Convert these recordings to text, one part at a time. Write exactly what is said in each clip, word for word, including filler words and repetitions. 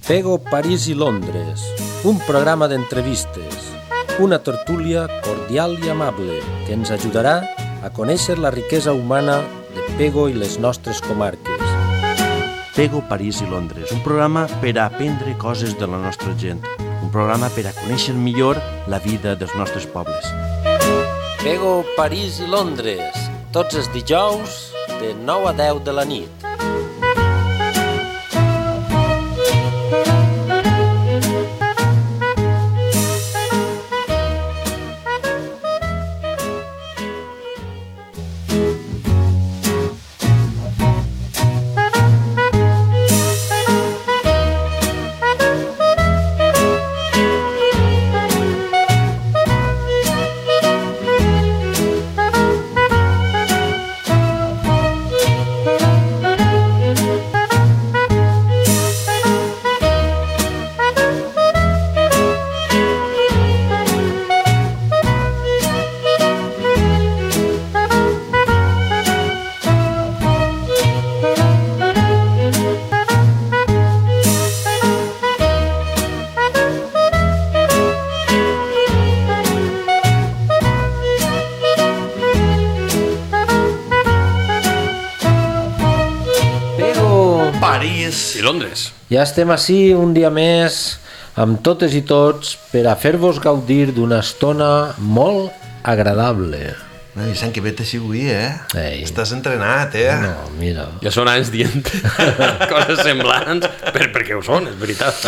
Pego, París i Londres, un programa d'entrevistes, una tertúlia cordial i amable que ens ajudarà a conèixer la riquesa humana de Pego i les nostres comarques. Pego, París i Londres, un programa per a aprendre coses de la nostra gent, un programa per a conèixer millor la vida dels nostres pobles. Pego, París i Londres, tots els dijous de nou a deu de la nit. I Londres. Ja estem ací un dia més amb totes i tots per a fer-vos gaudir d'una estona molt agradable. No, Vicent, que bé t'has avui, eh? Ei. Estàs entrenat, eh? No, mira. Ja són anys dient coses semblants, per, perquè ho són, és veritat.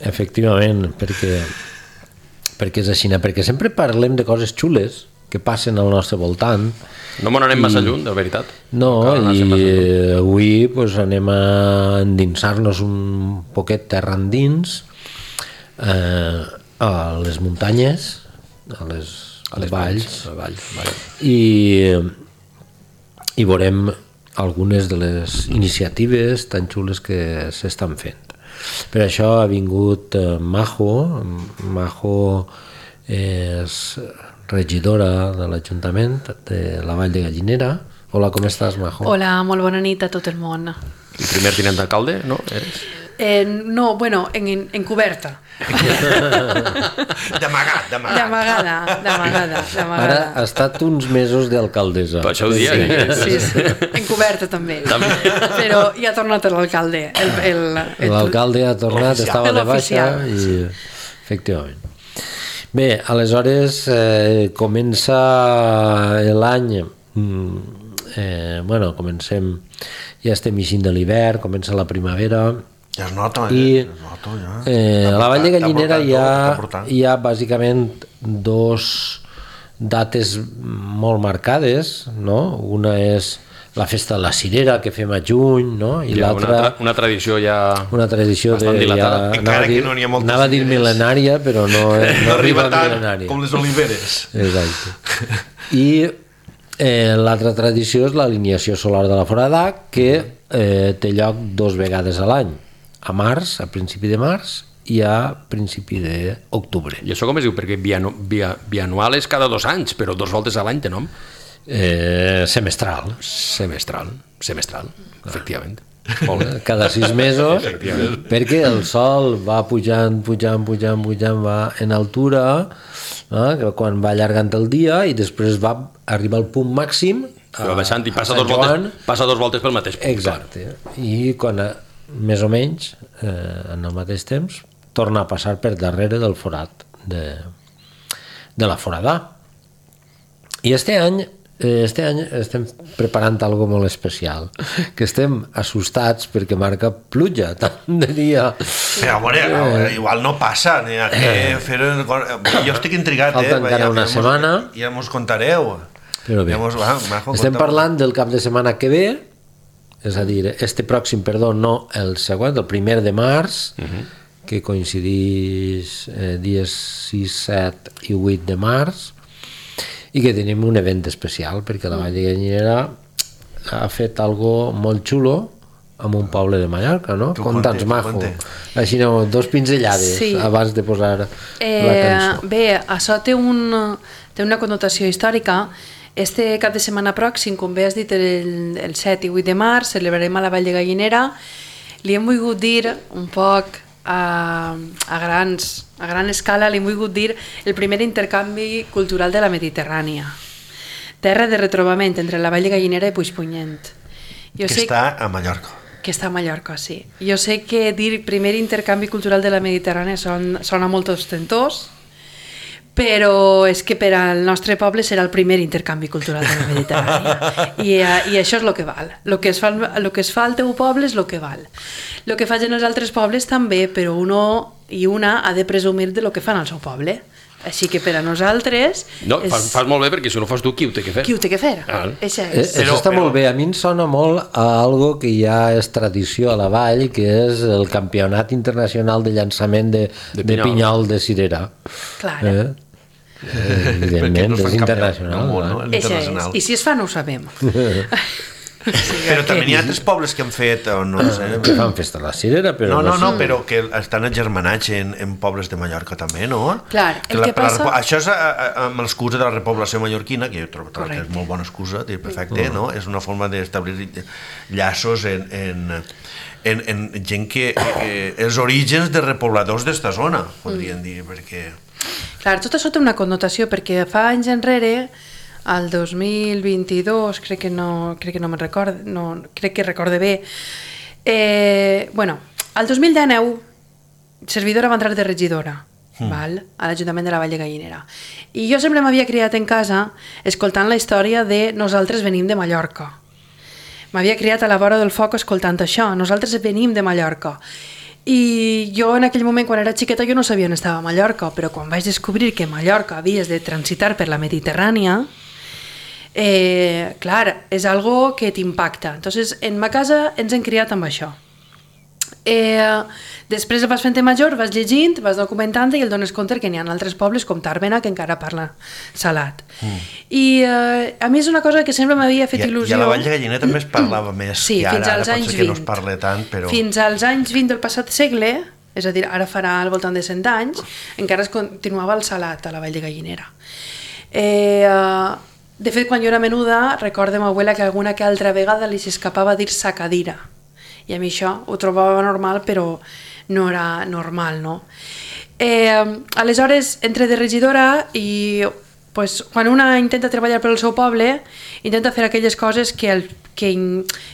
Efectivament, perquè, perquè és així, perquè sempre parlem de coses xules que passen al nostre voltant. No me n'anem massa lluny, de veritat. No, i avui pues, anem a endinsar-nos un poquet terra endins eh, a les muntanyes, a les, a les valls, valls, valls, valls. I, i veurem algunes de les iniciatives tan xules que s'estan fent. Per això ha vingut eh, Majo. Majo és regidora de l'Ajuntament de la Vall de Gallinera. Hola, com estàs, Majo? Hola, molt bona nit a tot el món. El primer tinent d'alcalde, no? Eres? Eh, no, bueno, en, en coberta. D'amagat, d'amagat. D'amagada, d'amagada, d'amagada. Ara ha estat uns mesos d'alcaldessa. Per això ho dia. Sí, sí, sí. En coberta també. també. Però ja ha tornat l'alcalde. El, el, el... L'alcalde ha tornat, Oficial. estava de baixa i... Efectivament. Bé, aleshores eh, comença l'any, eh, bueno, comencem, ja estem eixint de l'hivern, comença la primavera. Ja es nota, i, eh? Es nota, ja. Eh, a la Vall de Gallinera hi ha, tot, hi ha bàsicament dos dates molt marcades, no? Una és la festa de la cirera que fem a juny, no? I ja, l'altra... Una, tra una tradició ja... Una tradició de... Ja, encara que no n'hi ha moltes anava a dir mil·lenària, però no, no, no arriba arriba tant mil·lenària. com les oliveres. Exacte. I eh, l'altra tradició és l'alineació solar de la Foradà, que eh, té lloc dos vegades a l'any. A març, a principi de març, i a principi d'octubre. I això com es diu? Perquè bianu bia bianual és cada dos anys, però dos voltes a l'any té nom? Eh, semestral. Semestral, semestral, efectivament. Molt bé. Cada sis mesos, perquè el sol va pujant, pujant, pujant, pujant, va en altura, eh, quan va allargant el dia i després va arribar al punt màxim a, va baixant i passa dos, voltes, passa dos voltes pel mateix punt. Exacte. I quan, més o menys, eh, en el mateix temps, torna a passar per darrere del forat de, de la Foradà. I este any Este any estem preparant algo molt especial, que estem assustats perquè marca pluja tant de dia. Però, a veure, eh, igual no passa, ni a què fer... Jo estic intrigat, falta eh? encara ja, una ja setmana. Mos, ja mos contareu. Però bé, ja mos, va, Majo, estem conta'm. parlant del cap de setmana que ve, és a dir, este pròxim, perdó, no el següent, el primer de març, uh -huh. que coincideix eh, dies sis, set i vuit de març, i que tenim un event especial perquè la Vall de Gallinera ha fet algo molt xulo amb un poble de Mallorca, no? Conta'ns, Majo. Així no, dos pinzellades sí. abans de posar eh, la cançó. Bé, això té, un, té una connotació històrica. Este cap de setmana pròxim, com bé has dit, el, el set i vuit de març, celebrarem a la Vall de Gallinera li hem volgut dir un poc a, a, grans, a gran escala, li hem volgut dir el primer intercanvi cultural de la Mediterrània. Terra de retrobament entre la Vall de Gallinera i Puigpunyent. Jo que sé està a Mallorca. Que està a Mallorca, sí. Jo sé que dir primer intercanvi cultural de la Mediterrània son, sona molt ostentós, però és que per al nostre poble serà el primer intercanvi cultural de la Mediterrània. I, i això és el que val. El que, es fa, el que es fa al teu poble és el que val. El que facin els altres pobles també, però uno i una ha de presumir de lo que fan al seu poble. Així que per a nosaltres... No, és... fas, fas molt bé, perquè si no fas tu, qui ho té que fer? Qui ho té que fer? Ah. Això Eh, és. Això està molt bé. A mi em sona molt a algo que ja és tradició a la vall, que és el Campionat Internacional de Llançament de, De de pinyol. pinyol de cirera. Clar. Eh? Eh, evidentment, no es és fan internacional. campió, no? No? No? Això és. Internacional. I si es fa no ho sabem. Sí, Però que- també n'hi ha altres pobles que han fet, o no sé... Que fan festa a la cirera, però No, no, no, sé. però que estan agermanats en, en pobles de Mallorca també, no? Clar, el la, que per la passa- repo- això és a, a, amb l'excusa de la repoblació mallorquina, que jo trobo que Correcte. és molt bona excusa, dir, perfecte, no? És una forma d'establir llaços en, en, en, en gent que... Eh, els orígens de repobladors d'esta zona, podríem dir, perquè... Clar, tot això té una connotació, perquè fa anys enrere, al dos mil vint-i-dos, crec que no, crec que no me'n recordo, no, crec que recorde bé, eh, bueno, al dos mil dinou, servidora va entrar de regidora, mm. val? A l'Ajuntament de la Vall de Gallinera. I jo sempre m'havia criat en casa escoltant la història de nosaltres venim de Mallorca. M'havia criat a la vora del foc escoltant això, nosaltres venim de Mallorca. I jo en aquell moment, quan era xiqueta, jo no sabia on estava Mallorca, però quan vaig descobrir que Mallorca havies de transitar per la Mediterrània, eh, clar, és algo que t'impacta. Entonces, en ma casa ens hem criat amb això. Eh, després vas fent major, vas llegint, vas documentant i el dones compte que n'hi ha altres pobles com Tàrbena que encara parla salat. Mm. I eh, a mi és una cosa que sempre m'havia fet I, il·lusió. I a la Vall de Gallinera també es parlava més Sí, que ara, fins als ara anys pot ser que no es vint. parle tant, però... Fins als anys vint del passat segle, és a dir, ara farà al voltant de cent anys, encara es continuava el salat a la Vall de Gallinera. Eh, de fet, quan jo era menuda, recordo ma abuela que alguna que altra vegada li s'escapava dir sacadira. I a mi això ho trobava normal, però no era normal, no? Eh, aleshores, entre de regidora i pues, quan una intenta treballar pel seu poble, intenta fer aquelles coses que, el, que,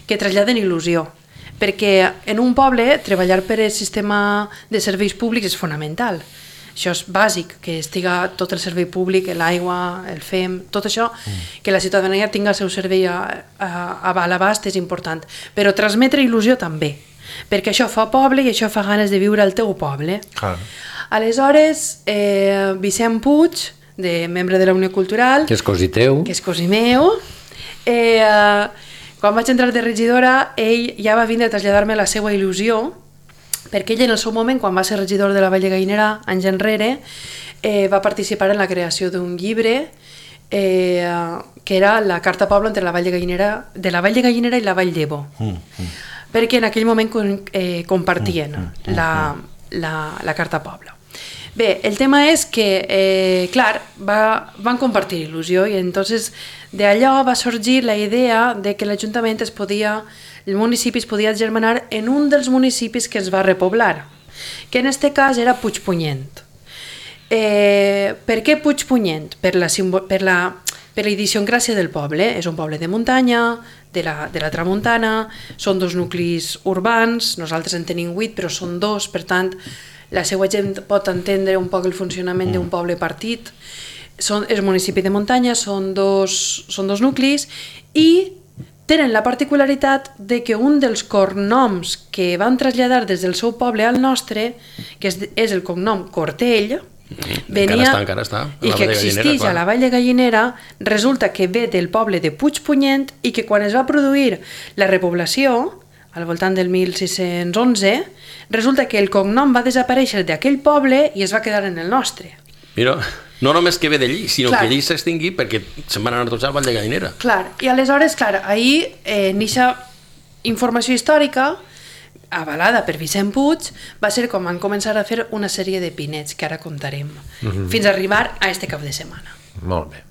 que traslladen il·lusió. Perquè en un poble treballar per el sistema de serveis públics és fonamental. Això és bàsic, que estiga tot el servei públic, l'aigua, el F E M, tot això, mm. que la ciutadania tinga el seu servei a, a, a l'abast és important. Però transmetre il·lusió també, perquè això fa poble i això fa ganes de viure al teu poble. Clar. Aleshores, eh, Vicent Puig, de membre de la Unió Cultural, Que és cosí teu. que és cosí meu, eh, quan vaig entrar de regidora, ell ja va vindre a traslladar-me la seva il·lusió, perquè ell en el seu moment, quan va ser regidor de la Vall de Gallinera, anys enrere, eh, va participar en la creació d'un llibre eh, que era la Carta Poble entre la Vall de Gallinera, de la Vall de Gallinera i la Vall d'Ebo, mm, mm. perquè en aquell moment eh, compartien mm, mm, la, la, la Carta Poble. Bé, el tema és que, eh, clar, va, van compartir il·lusió i entonces d'allò va sorgir la idea de que l'Ajuntament es podia, el municipi es podia germanar en un dels municipis que es va repoblar, que en este cas era Puigpunyent. Eh, per què Puigpunyent? Per la, per la, per la idiosincràsia del poble. És un poble de muntanya, de la, de la tramuntana, són dos nuclis urbans, nosaltres en tenim vuit, però són dos, per tant, la seva gent pot entendre un poc el funcionament mm. d'un poble partit. Són, és un municipi de muntanya, són dos, són dos nuclis i tenen la particularitat de que un dels cognoms que van traslladar des del seu poble al nostre, que és, és el cognom Cortell, venia, encara està, encara està. i que existeix a la Vall de Gallinera, resulta que ve del poble de Puigpunyent i que quan es va produir la repoblació, al voltant del mil sis-cents onze, resulta que el cognom va desaparèixer d'aquell poble i es va quedar en el nostre. Mira, no només que ve d'allí, sinó Clar. que allí s'extingui perquè se'n van anar tots al Vall de Gallinera. Clar, i aleshores, clar, ahir, eh, nixa informació històrica, avalada per Vicent Puig, va ser com van començar a fer una sèrie de pinets, que ara contarem, mm-hmm. fins a arribar a este cap de setmana. Molt bé.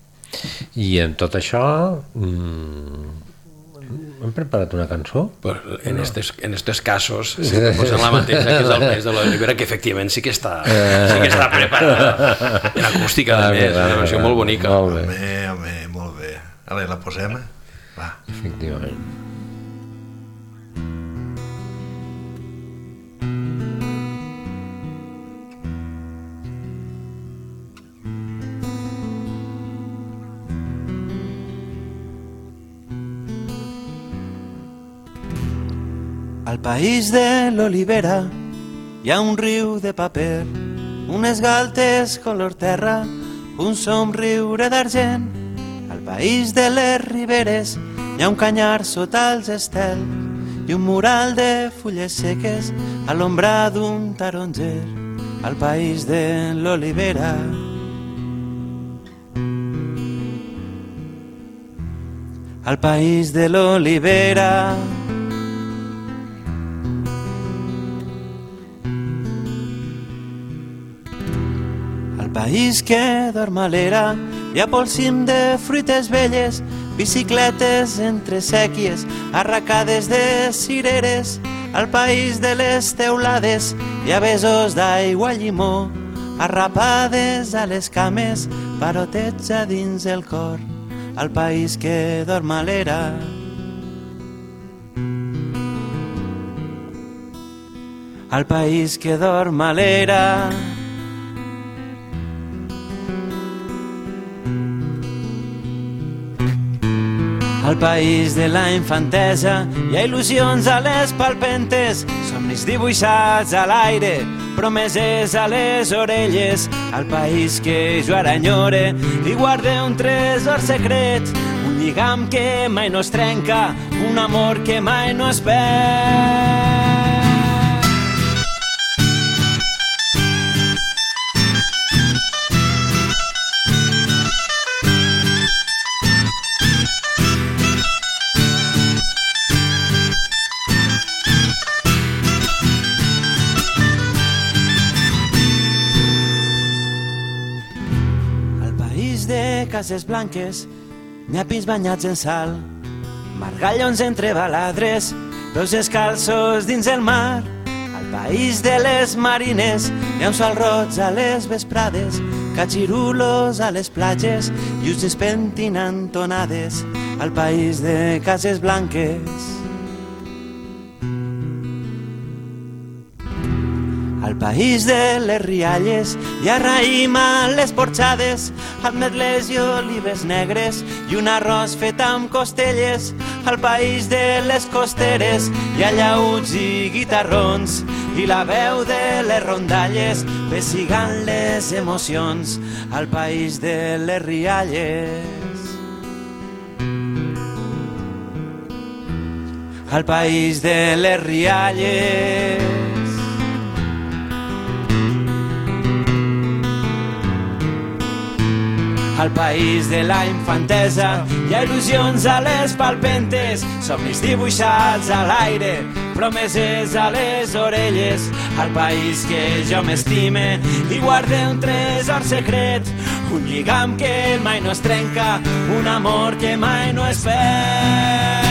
I en tot això, mmm, hem preparat una cançó? Pues en, estes, en estos casos sí que posen la mateixa, que és el mes de l'Olivera, que efectivament sí que està, sí que està preparada. En acústica, a més, una versió molt bonica. Molt bé. Home, home, molt bé. Ara la posem? Va. Efectivament. Al país de l'olivera hi ha un riu de paper, unes galtes color terra, un somriure d'argent. Al país de les riberes hi ha un canyar sota els estels i un mural de fulles seques a l'ombra d'un taronger. Al país de l'olivera. Al país de l'olivera. País que dorm a l'era, hi ha pel cim de fruites velles, bicicletes entre sèquies, arracades de cireres. Al país de les teulades hi ha besos d'aigua llimó, arrapades a les cames, parotets a dins el cor. Al país que dorm a l'era. Al país que dorm a l'era. Al país de la infantesa hi ha il·lusions a les palpentes, somnis dibuixats a l'aire, promeses a les orelles. Al país que jo ara enyore hi guarde un tresor secret, un lligam que mai no es trenca, un amor que mai no es perd. Cases blanques, n'hi ha pins banyats en sal, margallons entre baladres, dos descalços dins el mar. Al país de les marines hi ha un sol roig a les vesprades, catxirulos a les platges i us despentinant tonades. Al país de cases blanques. Al país de les rialles hi ha raïm a les porxades, ametles i olives negres i un arròs fet amb costelles. Al país de les costeres hi ha llauts i guitarrons i la veu de les rondalles pessigant les emocions. Al país de les rialles. Al país de les rialles. Al país de la infantesa hi ha il·lusions a les palpentes, somnis dibuixats a l'aire, promeses a les orelles. Al país que jo m'estime hi guarde un tresor secret, un lligam que mai no es trenca, un amor que mai no es perd.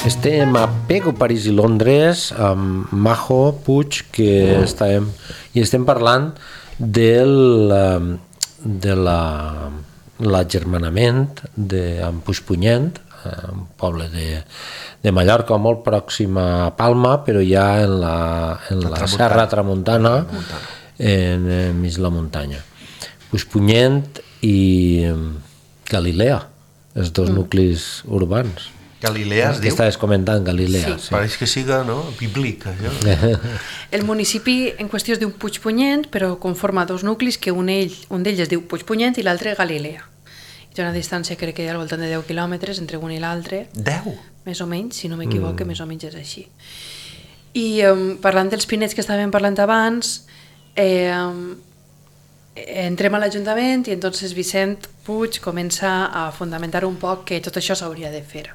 Estem a Pego, París i Londres amb Majo Puig, que estem, i estem parlant del, de la, l'agermanament de, amb Puigpunyent, un poble de, de Mallorca molt pròxim a Palma, però ja en la, en la, la Serra Tramuntana, en, en mig la muntanya. Puigpunyent i Galilea, els dos mm. nuclis urbans. Galilea es que diu? estaves comentant, Galilea. Sí. Sí. Pareix que siga, no?, bíblic, això. El municipi en qüestió es diu Puigpunyent, però conforma dos nuclis, que un, ell, un d'ells es diu Puigpunyent i l'altre Galilea. I té una distància, crec que hi ha al voltant de deu quilòmetres entre un i l'altre. Deu? Més o menys, si no m'equivoco, mm. més o menys és així. I um, parlant dels pinets que estàvem parlant abans, eh, um, entrem a l'Ajuntament i entonces Vicent Puig comença a fundamentar un poc que tot això s'hauria de fer.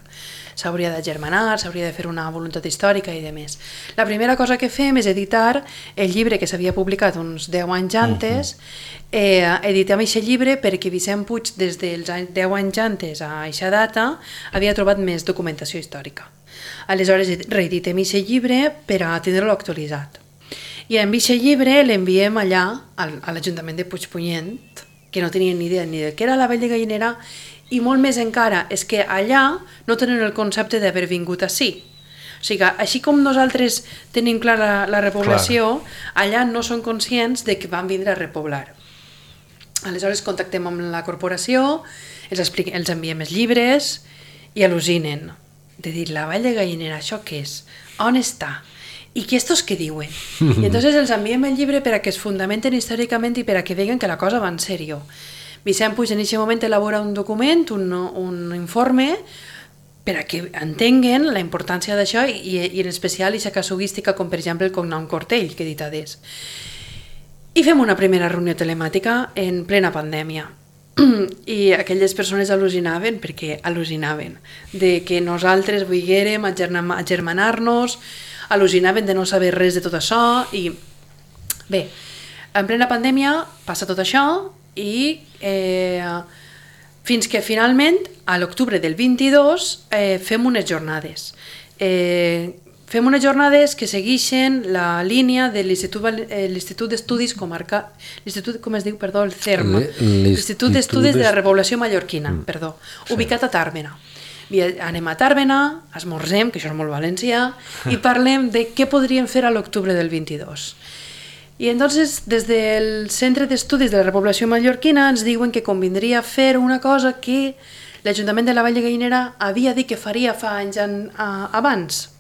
S'hauria d'agermanar, s'hauria de fer una voluntat històrica i demés. La primera cosa que fem és editar el llibre que s'havia publicat uns deu anys antes. Uh-huh. eh, editem aquest llibre perquè Vicent Puig, des dels deu anys antes a aquesta data, havia trobat més documentació històrica. Aleshores reeditem aquest llibre per a tindre-lo actualitzat. I amb aquest llibre l'enviem allà, a l'Ajuntament de Puigpunyent, que no tenien ni idea ni de què era la Vall de Gallinera, i molt més encara, és que allà no tenen el concepte d'haver vingut ací. O sigui, així com nosaltres tenim clar la, la repoblació, clar, allà no són conscients de que van vindre a repoblar. Aleshores contactem amb la corporació, els, expliquem, els enviem els llibres i al·lucinen. De dir, la Vall de Gallinera, això què és? On està? I què estos què diuen? I entonces els enviem el llibre per a que es fundamenten històricament i per a que veguen que la cosa va en sèrio. Vicent Puig en aquest moment elabora un document, un, un informe, per a que entenguen la importància d'això i, i en especial aquesta casuística com per exemple el cognom Cortell, que he dit adés. I fem una primera reunió telemàtica en plena pandèmia. I aquelles persones al·lucinaven, perquè al·lucinaven, de que nosaltres volguérem agermanar-nos, al·lucinaven de no saber res de tot això i bé, en plena pandèmia passa tot això i eh, fins que finalment a l'octubre del vint-i-dos eh, fem unes jornades. Eh, fem unes jornades que segueixen la línia de l'Institut d'Estudis Comarca... L'Institut, com es diu, perdó, el CERMA. L'Institut d'Estudis de la Repoblació Mallorquina, mm. perdó, ubicat a Tàrbena. Anem a Tàrbena, esmorzem, que això és molt valencià, i parlem de què podríem fer a l'octubre del vint-i-dos. I entonces, des del Centre d'Estudis de la Repoblació Mallorquina ens diuen que convindria fer una cosa que l'Ajuntament de la Vall de Gallinera havia dit que faria fa anys en, a, abans,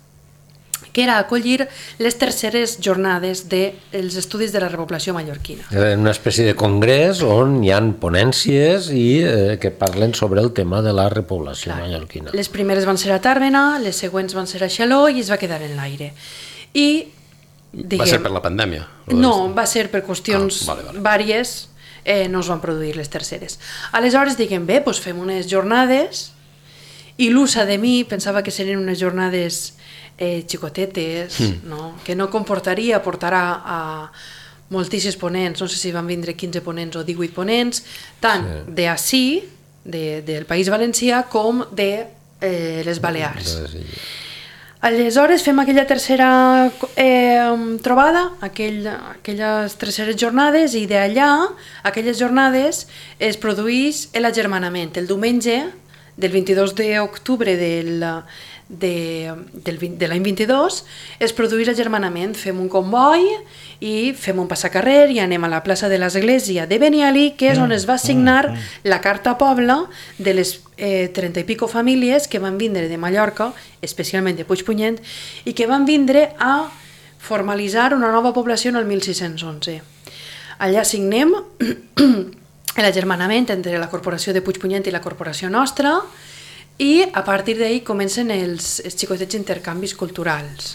que era acollir les terceres jornades dels estudis de la repoblació mallorquina. Una espècie de congrés on hi ha ponències i eh, que parlen sobre el tema de la repoblació Clar. mallorquina. Les primeres van ser a Tàrbena, les següents van ser a Xaló i es va quedar en l'aire. I diguem, va ser per la pandèmia? No, va ser per qüestions ah, vale, vale. vàries, eh, no es van produir les terceres. Aleshores diguem, bé, doncs fem unes jornades, il·lusa de mi, pensava que serien unes jornades eh, xicotetes, mm. no? Que no comportaria portar a, a moltíssims ponents, no sé si van vindre quinze ponents o divuit ponents, tant sí. d'ací, de, del País Valencià, com de eh, les Balears. Sí. Aleshores fem aquella tercera eh, trobada, aquell, aquelles terceres jornades, i d'allà, aquelles jornades, es produeix l'agermanament. El diumenge del vint-i-dos d'octubre del, de, del, de l'any vint-i-dos es produeix l'agermanament. Fem un comboi i fem un passacarrer i anem a la plaça de l'Església de Benialí, que és on es va signar la Carta Pobla de les eh, trenta i pico famílies que van vindre de Mallorca, especialment de Puigpunyent, i que van vindre a formalitzar una nova població en el mil sis-cents onze. Allà signem l'agermanament entre la Corporació de Puigpunyent i la Corporació nostra i a partir d'ahir comencen els, els xicotets intercanvis culturals.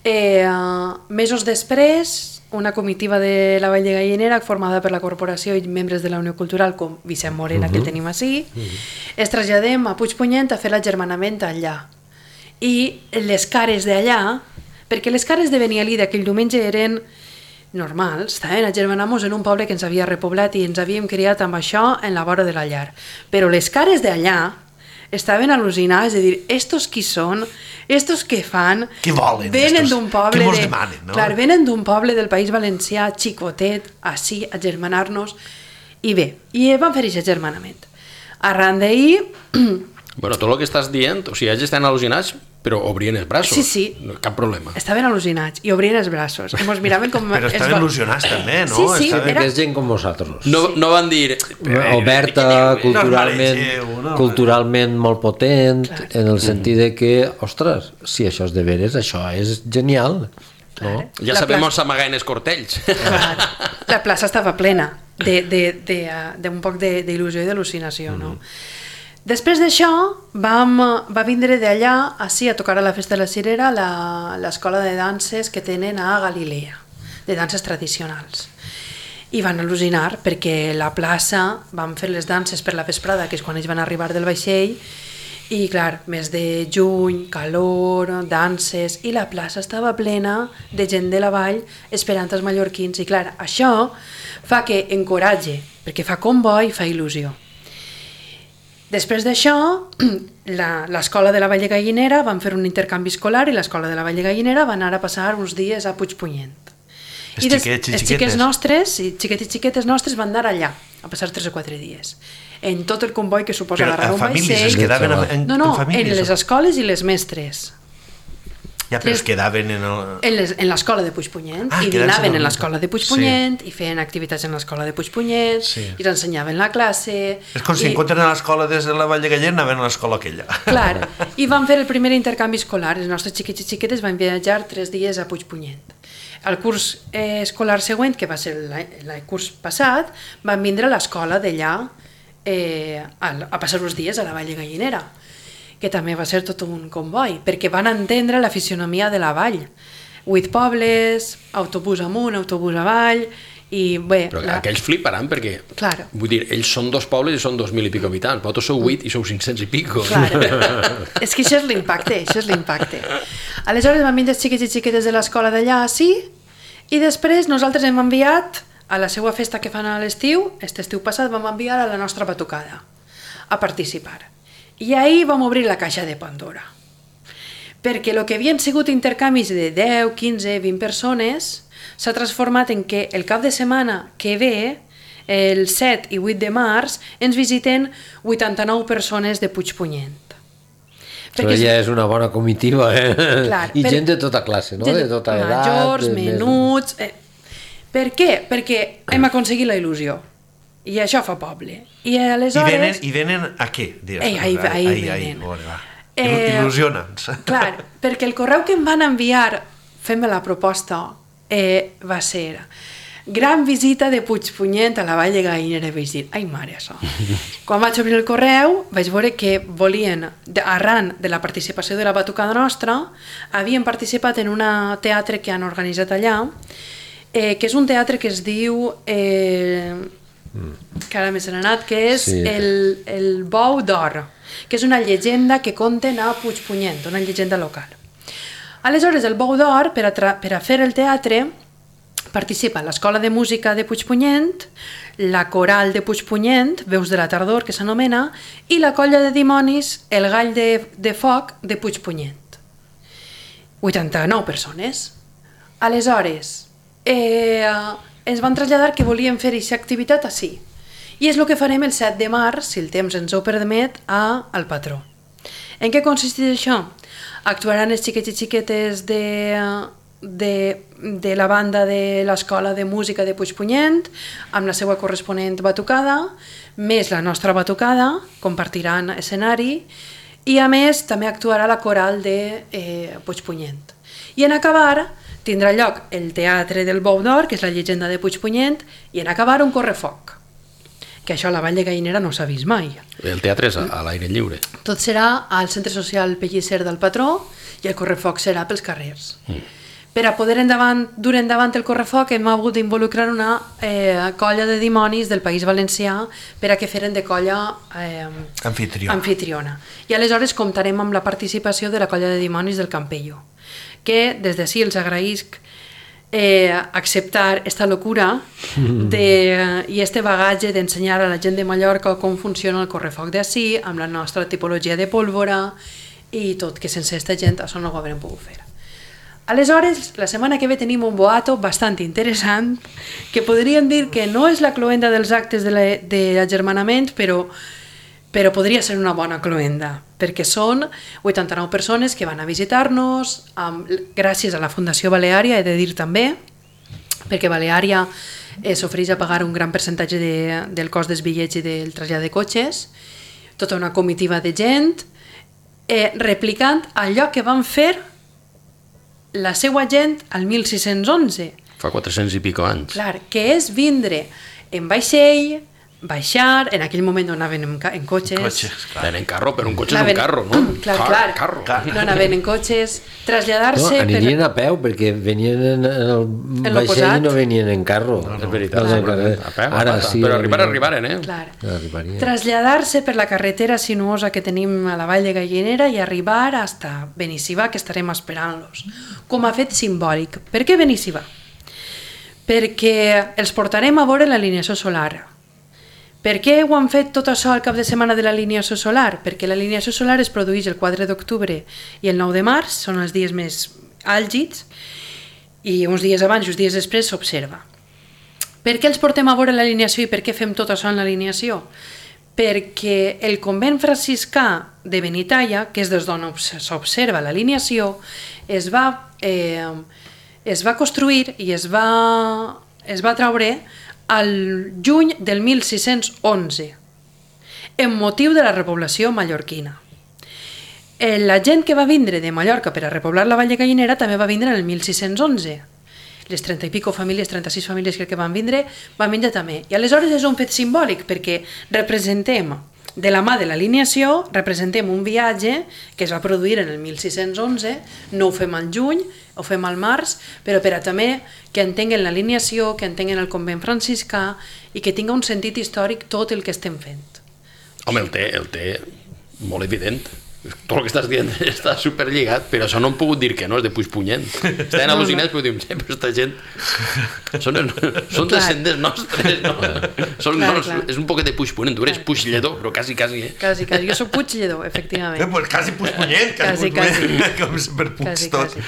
Eh, mesos després, una comitiva de la Vall de Gallinera formada per la Corporació i membres de la Unió Cultural com Vicent Morena, uh-huh. que el tenim així, uh-huh. es traslladem a Puigpunyent a fer l'agermanament allà. I les cares d'allà, perquè les cares de Benialí d'aquell diumenge eren normals, estaven agermanant-nos en un poble que ens havia repoblat i ens havíem criat amb això en la vora de la llar. Però les cares d'allà estaven al·lucinades de dir, estos qui són, estos què fan, què volen, venen d'un poble, què mos de, demanen, no? clar, venen d'un poble del País Valencià, xicotet, així, a germanar-nos, i bé, i van fer aquest germanament. Arran d'ahir... Bueno, tot el que estàs dient, o sigui, ells estan al·lucinats Però obrien els braços. Sí, sí. No, cap problema. Estaven al·lucinats i obrien els braços. I mos miraven com... Però estaven va... il·lusionats també, no? Sí, sí, estaven... era... Que és gent com vosaltres. No, no van dir... Oberta, culturalment, no, no, culturalment molt potent, Clar. en el sentit de que, ostres, si això és de veres, això és genial. No? Ja La sabem on plaça- s'amaguen els cortells. Clar, la plaça estava plena d'un de, de, de, de un poc de- d'il·lusió i d'al·lucinació, no? Després d'això, vam, va vindre d'allà, així, a tocar a la Festa de la Cirera, la- l'escola de danses que tenen a Galilea, de danses tradicionals. I van al·lucinar perquè la plaça van fer les danses per la vesprada, que és quan ells van arribar del vaixell, i clar, mes de juny, calor, danses, i la plaça estava plena de gent de la vall esperant els mallorquins. I clar, això fa que encoratge, perquè fa comboi i fa il·lusió. Després d'això, la- l'escola de la Vall de Gallinera van fer un intercanvi escolar i l'escola de la Vall de Gallinera van anar a passar uns dies a Puigpunyent. Els I des- xiquets i els xiquetes. xiquets nostres, i xiquets i xiquetes nostres van anar allà a passar tres o quatre dies. En tot el comboi que suposa Però agarrar a un famílies, es vaixell... quedaven en, en, No, no, en famílies. en les escoles i les mestres. Ja, però es les- quedaven en el... En les- en l'escola de Puigpunyent, Ah, i quedant-se dinaven dormint. en l'escola de Puigpunyent, i feien activitats en l'escola de Puigpunyent, Sí. i ens ensenyaven la classe... És com si i- encontren a l'escola des de la Vall de Gallen, anaven a l'escola aquella. Clar, i van fer el primer intercanvi escolar. Els nostres xiquets i xiquetes van viatjar tres dies a Puigpunyent. El curs eh, escolar següent, que va ser l'any l'any curs passat, van vindre a l'escola d'allà eh, a, a passar uns dies a la Vall de Gallinera, que també va ser tot un comboi, perquè van entendre la fisionomia de la vall. Huit pobles, autobús amunt, autobús avall, i bé... Però la... aquells fliparan perquè, Claro. vull dir, ells són dos pobles i són dos mil i pico habitants, vosaltres sou vuit i sou cinc-cents i pico. Clar. És que això és l'impacte, això és l'impacte. Aleshores van vindre els xiquets i xiquetes de l'escola d'allà, sí, i després nosaltres hem enviat a la seva festa que fan a l'estiu, aquest estiu passat vam enviar a la nostra batucada a participar. I ahir vam obrir la caixa de Pandora. Perquè el que havien sigut intercanvis de deu, quinze, vint persones s'ha transformat en que el cap de setmana que ve, el set i vuit de març, ens visiten vuitanta-nou persones de Puigpunyent. Però ja és una bona comitiva, eh? Clar, I per- gent de tota classe, no? De tota edat. Majors, de més- menuts... Eh. Per què? Perquè hem aconseguit la il·lusió. I això fa poble. I I aleshores... venen, I venen a què? Diràs, Ei, ahí- ahí ai, venen. Vale, va. Eh, Il·lusiona'ns. Clar, perquè el correu que em van enviar fent-me la proposta eh, va ser gran visita de Puigpunyent a la Vall de Gallinera. I vaig dir, ai mare, això. Quan vaig obrir el correu vaig veure que volien, de- arran de la participació de la batucada nostra, havien participat en un teatre que han organitzat allà, eh, que és un teatre que es diu... Eh, que ara m'he anat, que és Sí. el, el Bou d'Or, que és una llegenda que conten a Puigpunyent, una llegenda local. Aleshores, el Bou d'Or, per, a tra- per a fer el teatre, participa l'Escola de Música de Puigpunyent, la Coral de Puigpunyent, Veus de la Tardor, que s'anomena, i la Colla de Dimonis, el Gall de, de Foc de Puigpunyent. vuitanta-nou persones. Aleshores, eh, ens van traslladar que volíem fer aquesta activitat així. I és el que farem el set de març, si el temps ens ho permet, a al Patró. En què consisteix això? Actuaran els xiquets i xiquetes de, de, de la banda de l'Escola de Música de Puigpunyent, amb la seva corresponent batucada, més la nostra batucada, compartiran escenari, i a més també actuarà la coral de eh, Puigpunyent. I en acabar tindrà lloc el Teatre del Bou d'Or, que és la llegenda de Puigpunyent, i en acabar un correfoc, que això a la Vall de Gallinera no s'ha vist mai. El teatre és a, a l'aire lliure. Tot serà al Centre Social Pellicer del Patró i el correfoc serà pels carrers. Mm. Per a poder endavant, dur endavant el correfoc hem hagut d'involucrar una eh, colla de dimonis del País Valencià per a que feren de colla eh, Anfitriona. anfitriona. I aleshores comptarem amb la participació de la colla de dimonis del Campello, que des d'ací els agraïsc eh, acceptar esta locura de, i este bagatge d'ensenyar a la gent de Mallorca com funciona el correfoc d'ací, amb la nostra tipologia de pólvora i tot, que sense aquesta gent això no ho haurem pogut fer. Aleshores, la setmana que ve tenim un boato bastant interessant, que podríem dir que no és la cloenda dels actes de l'agermanament, però, però podria ser una bona cloenda. perquè són vuitanta-nou persones que van a visitar-nos, um, gràcies a la Fundació Baleària, he de dir també, perquè Baleària eh, s'ofereix a pagar un gran percentatge de, del cost dels bitllets i del trasllat de cotxes, tota una comitiva de gent, eh, replicant allò que van fer la seva gent al mil sis-cents onze. Fa quatre-cents i pico anys. Clar, que és vindre en vaixell, baixar, en aquell moment no anaven en, en cotxes. Cotxes, clar. Anaven en carro, però un cotxe Anaven- és un carro, no? Clar, Car- clar. Carro. Clar. No anaven en cotxes, No, traslladar-se... anirien a peu, perquè venien en el En vaixell l'oposat. i no venien en carro. És veritat, No, no, però, no. a peu, a Ara pata. sí. Però arribar, venien- arribaren, eh? Clar. Arribarien. Traslladar-se per la carretera sinuosa que tenim a la Vall de Gallinera i arribar hasta Benissivà, que estarem esperant-los. Com a fet simbòlic. Per què Benissivà? Perquè els portarem a veure l'alineació solar. Per què ho han fet tot això al cap de setmana de l'alineació solar? Perquè l'alineació solar es produeix el quatre d'octubre i el nou de març, són els dies més àlgids, i uns dies abans i uns dies després s'observa. Per què els portem a veure l'alineació i per què fem tot això en l'alineació? Perquè el convent franciscà de Benitaia, que és des d'on s'observa l'alineació, es va, eh, es va construir i es va, es va traure al juny del mil sis-cents onze, en motiu de la repoblació mallorquina. Eh, La gent que va vindre de Mallorca per a repoblar la Vall de Gallinera també va vindre en el mil sis-cents onze. Les trenta i pico famílies, trenta-sis famílies que van vindre, van vindre també. I aleshores és un fet simbòlic, perquè representem, de la mà de l'alineació, representem un viatge que es va produir en el mil sis-cents onze, no ho fem al juny, ho fem al març, però per a també que entenguen l'alineació, que entenguen el convent franciscà i que tinga un sentit històric tot el que estem fent. Home, el té, el té molt evident. Tot el que estàs dient està superlligat, però això no hem pogut dir que no, és de Puigpunyent. Estaven al·lucinats, però diuen, sí, però aquesta gent són, són Clar. descendents nostres, no? Són, Clar, no, clar. és un poquet de Puigpunyent, tu eres Puiglledor, però quasi, quasi, eh? Quasi, quasi. Jo soc Puiglledor, Eh, efectivament. pues quasi Puigpunyent, quasi, Quasi, Puigpunyent, com per punts Quasi, tot. quasi.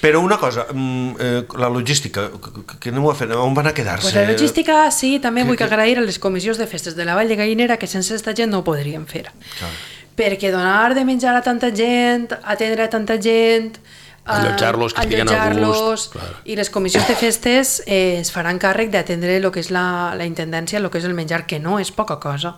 Però una cosa, mm, eh, la logística, que- que aneu a fer? On van a quedar-se? Pues la logística, sí, també vull agrair a les comissions de festes de la Vall de Gallinera, que sense aquesta gent no ho podríem fer. Clar. Perquè donar de menjar a tanta gent, atendre a tanta gent, eh, Allotjar-los, que estiguen a allotjar-los, gust, clar. i les comissions de festes eh, es faran càrrec d'atendre el que és la, la intendència, el que és el menjar, que no és poca cosa.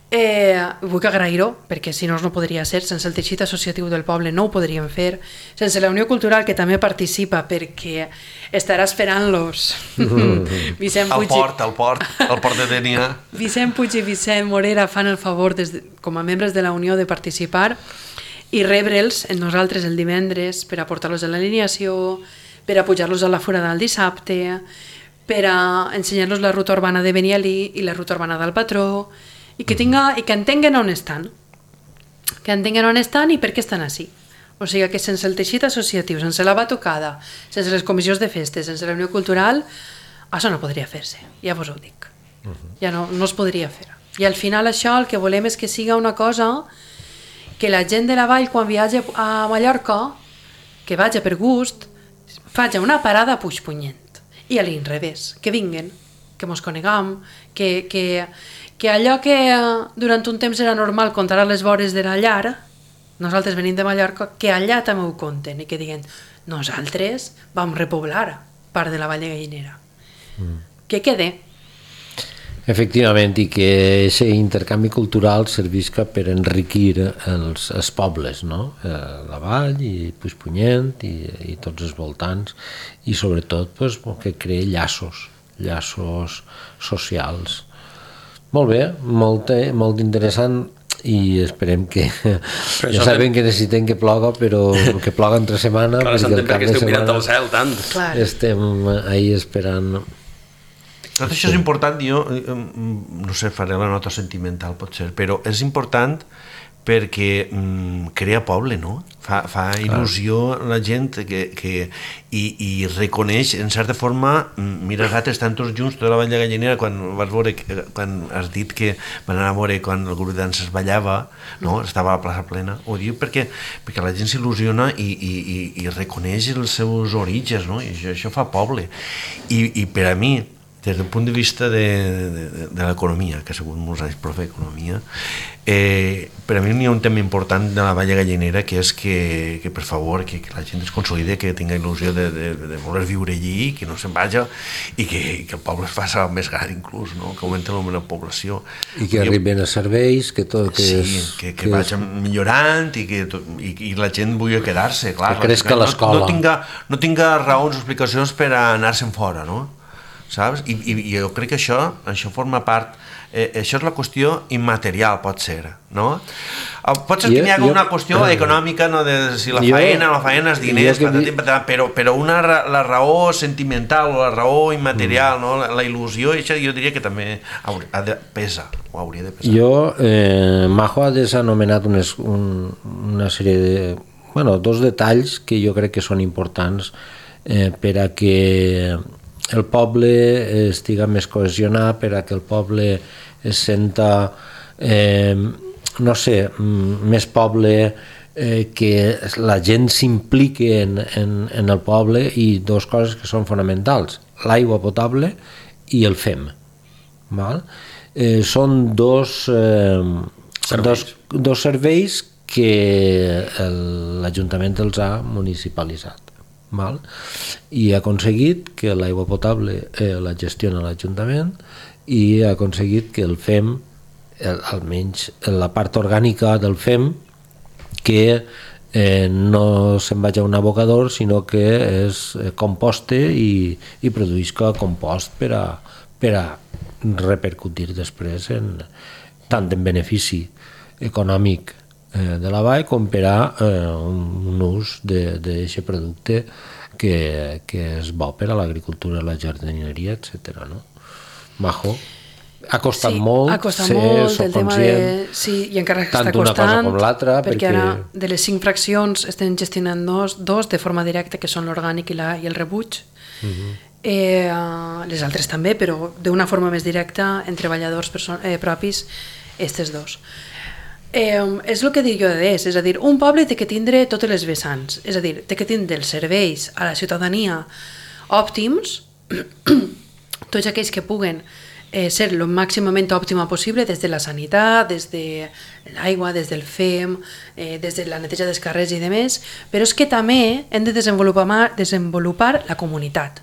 Eh, vull agrair-ho, perquè si no no podria ser, sense el teixit associatiu del poble no ho podríem fer, sense la Unió Cultural, que també participa, perquè estarà esperant-los Vicent Al Puig, port, al port, al port de Denia. Vicent Puig i Vicent Morera fan el favor des de, com a membres de la Unió de participar i rebre'ls en nosaltres el divendres per a portar-los a l'alineació, per a pujar-los a la forada el dissabte, per a ensenyar-los la ruta urbana de Benialí i la ruta urbana del Patró, i que, tinga, i que entenguen on estan, que entenguen on estan i per què estan així. O sigui que sense el teixit associatiu, sense la batucada, sense les comissions de festes, sense la Unió Cultural, això no podria fer-se, ja vos ho dic. Ja no, no es podria fer. I al final això el que volem és que siga una cosa que la gent de la vall, quan viatja a Mallorca, que vagi per gust, faci una parada a Puigpunyent. I a l'inrevés, que vinguen, que mos coneguem, que, que, que allò que durant un temps era normal contar a les vores de la llar, nosaltres venim de Mallorca, que allà també ho conten i que diguen, nosaltres vam repoblar part de la Vall de Gallinera. Mm. Que quede. Efectivament, i que aquest intercanvi cultural servisca per enriquir els, els pobles, no? Eh, la Vall i Puigpunyent i, i tots els voltants, i sobretot pues, que creï llaços, llaços socials. Molt bé, molt, molt interessant, i esperem que... Ja sabem que necessitem que ploga, però que ploga entre setmana, Clar, perquè el cap de esteu mirant setmana al cel tant. Clar. estem ahí esperant. Tot això és important, jo no sé, faré la nota sentimental potser, però és important perquè mm, crea poble, no? Fa, fa il·lusió la gent que, que, i, i reconeix, en certa forma, mira, els altres estan tots junts, tota la Vall de Gallinera, quan vas veure, quan has dit que van anar a veure quan el grup de danses ballava, no? Estava a la plaça plena, ho diu perquè, perquè la gent s'il·lusiona i, i, i, i reconeix els seus orígens, no? I això, això fa poble. I, i per a mi, des del punt de vista de, de, de l'economia, que ha sigut molts anys profe d'economia, eh, per a mi hi ha un tema important de la Vall Gallinera, que és que, que per favor, que, que la gent es consolide, que tinga il·lusió de, de, de voler viure allí, que no se'n vagi, i que, que el poble es faci més gran inclús, no? Que augmenti la població. I que arriben a serveis, que tot que sí, és... que, que, que vagin millorant i que tot, i, i la gent vulgui quedar-se, clar. Que cresc a l'escola. No, no, tinga, no tinga raons o explicacions per a anar-se'n fora, no? Saps? I, i, i jo crec que això, això forma part, eh, això és la qüestió immaterial, pot ser, no? Pot ser que hi hagi una qüestió uh, econòmica, no, de si la jo, faena o la faena és diners, patatim, patatim, però, però una, la raó sentimental o la raó immaterial, mm. no? la, la il·lusió, això jo diria que també ha de pesa, o hauria de pesar. Jo, eh, Majo ha desanomenat unes, un, una sèrie de... Bueno, dos detalls que jo crec que són importants eh, per a que el poble estiga més cohesionat, per a que el poble es senta, eh, no sé, més poble, eh, que la gent s'impliqui en, en, en el poble, i dos coses que són fonamentals, l'aigua potable i el F E M. Val? Eh, són dos, eh, dos, dos serveis que l'Ajuntament els ha municipalitzat. Val? I ha aconseguit que l'aigua potable eh, la gestiona l'Ajuntament, i ha aconseguit que el F E M, el, almenys la part orgànica del F E M, que eh, no se'n vagi a un abocador, sinó que es composte i, i produïsca compost per a, per a repercutir després en, tant en benefici econòmic de la vall com per a eh, un ús d'aquest producte que, que és bo per a l'agricultura, la jardineria, etcètera. No? Majo, ha costat sí, molt, ha costat ser, molt soc el tema conscient, de, sí, i encara tant està d'una costant, cosa com l'altra, perquè, perquè ara de les cinc fraccions estem gestionant dos, dos de forma directa, que són l'orgànic i, la, i el rebuig. Uh-huh. eh, les altres també, però d'una forma més directa, en treballadors eh, propis, aquestes dos. Eh, és el que dic jo de és, és a dir, un poble té que tindre totes les vessants, és a dir, té que tindre els serveis a la ciutadania òptims, tots aquells que puguen eh, ser el màximament òptima possible, des de la sanitat, des de l'aigua, des del F E M, eh, des de la neteja dels carrers i demés, però és que també hem de desenvolupar, desenvolupar la comunitat.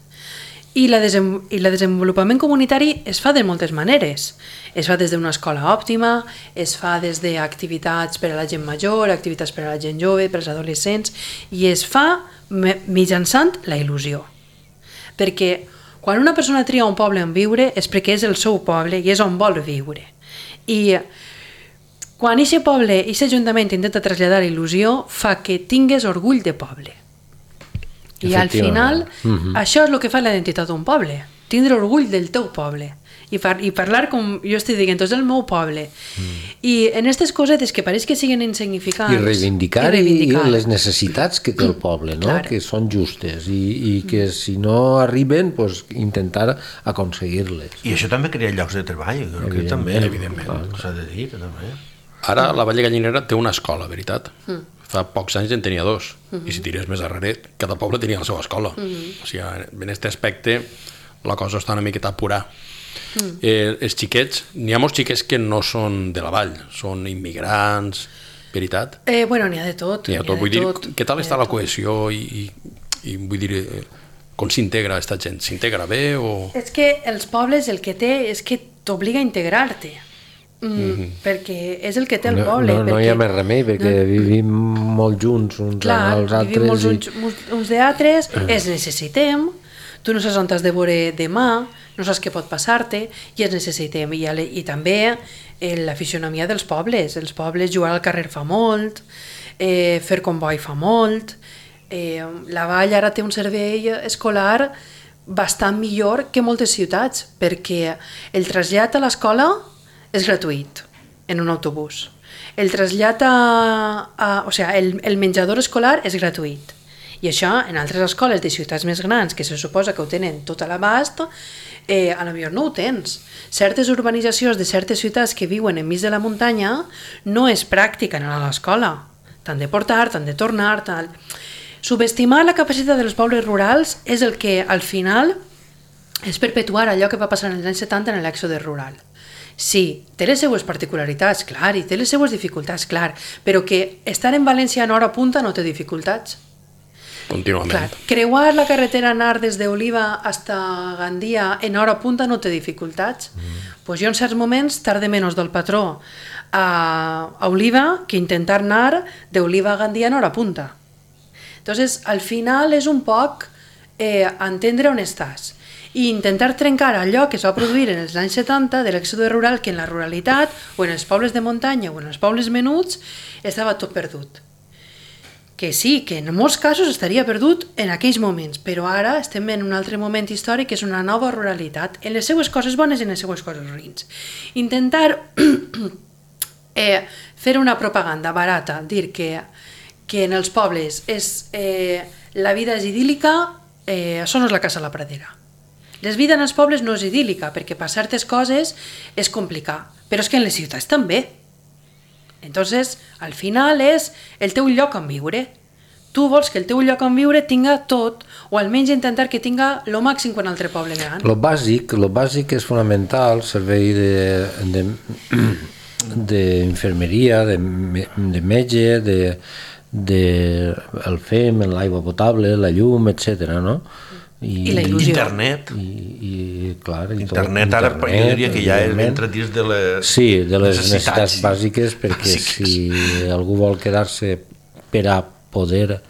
I la, desem, i el desenvolupament comunitari es fa de moltes maneres. Es fa des d'una escola òptima, es fa des d'activitats per a la gent major, activitats per a la gent jove, per als adolescents, i es fa mitjançant la il·lusió. Perquè quan una persona tria un poble on viure és perquè és el seu poble i és on vol viure. I quan aquest poble, aquest ajuntament intenta traslladar la il·lusió, fa que tingues orgull de poble. I al final, uh-huh. això és el que fa la identitat d'un poble, tindre orgull del teu poble i, par i parlar com jo estic dient, és el meu poble. Mm. I en aquestes cosetes que pareix que siguen insignificants... I reivindicar, i reivindicar. I les necessitats que té el poble, no? Claro. Que són justes i, i que si no arriben, pues, intentar aconseguir-les. I això també crea llocs de treball, jo crec que també, evidentment, s'ha de dir, també. Ara la Vall Gallinera té una escola, veritat. Mm. Fa pocs anys en tenia dos, uh-huh. i si tires més darrere, cada poble tenia la seva escola. Uh-huh. O sigui, en aquest aspecte la cosa està una miqueta a apurar. Uh-huh. Eh, els xiquets, n'hi ha molts xiquets que no són de la vall, són immigrants, veritat? Eh, bueno, n'hi ha de tot. N'hi ha de tot. Vull dir, què tal està la cohesió i, i, i vull dir, com s'integra aquesta gent? S'integra bé o...? És que els pobles el que té és que t'obliga a integrar-te. Mm, mm-hmm. perquè és el que té el no, poble. No, no perquè, hi ha més remei, perquè no, vivim molt junts uns clar, als altres. Vivim molts i... uns, uns d'altres, els necessitem, tu no saps on has de veure demà, no saps què pot passar-te, i els necessitem. I, i també eh, la fisionomia dels pobles. Els pobles jugar al carrer fa molt, eh, fer comboi fa molt, eh, la Vall ara té un servei escolar bastant millor que moltes ciutats, perquè el trasllat a l'escola és gratuït, en un autobús. El trasllat a... a o sigui, el, el menjador escolar és gratuït. I això, en altres escoles de ciutats més grans, que se suposa que ho tenen tot a l'abast, eh, a la millor no ho tens. Certes urbanitzacions de certes ciutats que viuen enmig de la muntanya no és pràctica anar a l'escola. T'han de portar, t'han de tornar, tal... Subestimar la capacitat dels pobles rurals és el que, al final, és perpetuar allò que va passar en els anys setanta en l'èxode rural. Sí, té les seues particularitats, clar, i té les seues dificultats, clar, però que estar en València en hora punta no té dificultats. Contínuament. Clar, creuar la carretera anar des d'Oliva hasta Gandia en hora punta no té dificultats. Mm. Pues jo en certs moments tarde menos del patró a, a Oliva que intentar anar d'Oliva a Gandia en hora punta. Entonces, al final és un poc eh, entendre on estàs i intentar trencar allò que es va produir en els anys setanta de l'èxode rural, que en la ruralitat o en els pobles de muntanya o en els pobles menuts estava tot perdut. Que sí, que en molts casos estaria perdut en aquells moments, però ara estem en un altre moment històric que és una nova ruralitat, en les seues coses bones i en les seues coses ruïns. Intentar eh, fer una propaganda barata, dir que, que en els pobles és, eh, la vida és idíl·lica, eh, això no és la casa a la pradera. La vida en els pobles no és idíl·lica, perquè per certes coses és complicat, però és que en les ciutats també. Entonces, al final és el teu lloc on viure. Tu vols que el teu lloc on viure tinga tot, o almenys intentar que tinga lo màxim quan altre poble gran. Lo bàsic, lo bàsic és fonamental, servei de, de, d'infermeria, de, de metge, de, de el F E M, l'aigua potable, la llum, etcètera, no? I, I la il·lusió. Internet. I, i, clar, i internet, tot, ara internet, jo diria que ja entra dins de les sí, de les necessitats, necessitats bàsiques, perquè bàsiques. Si algú vol quedar-se per a poder...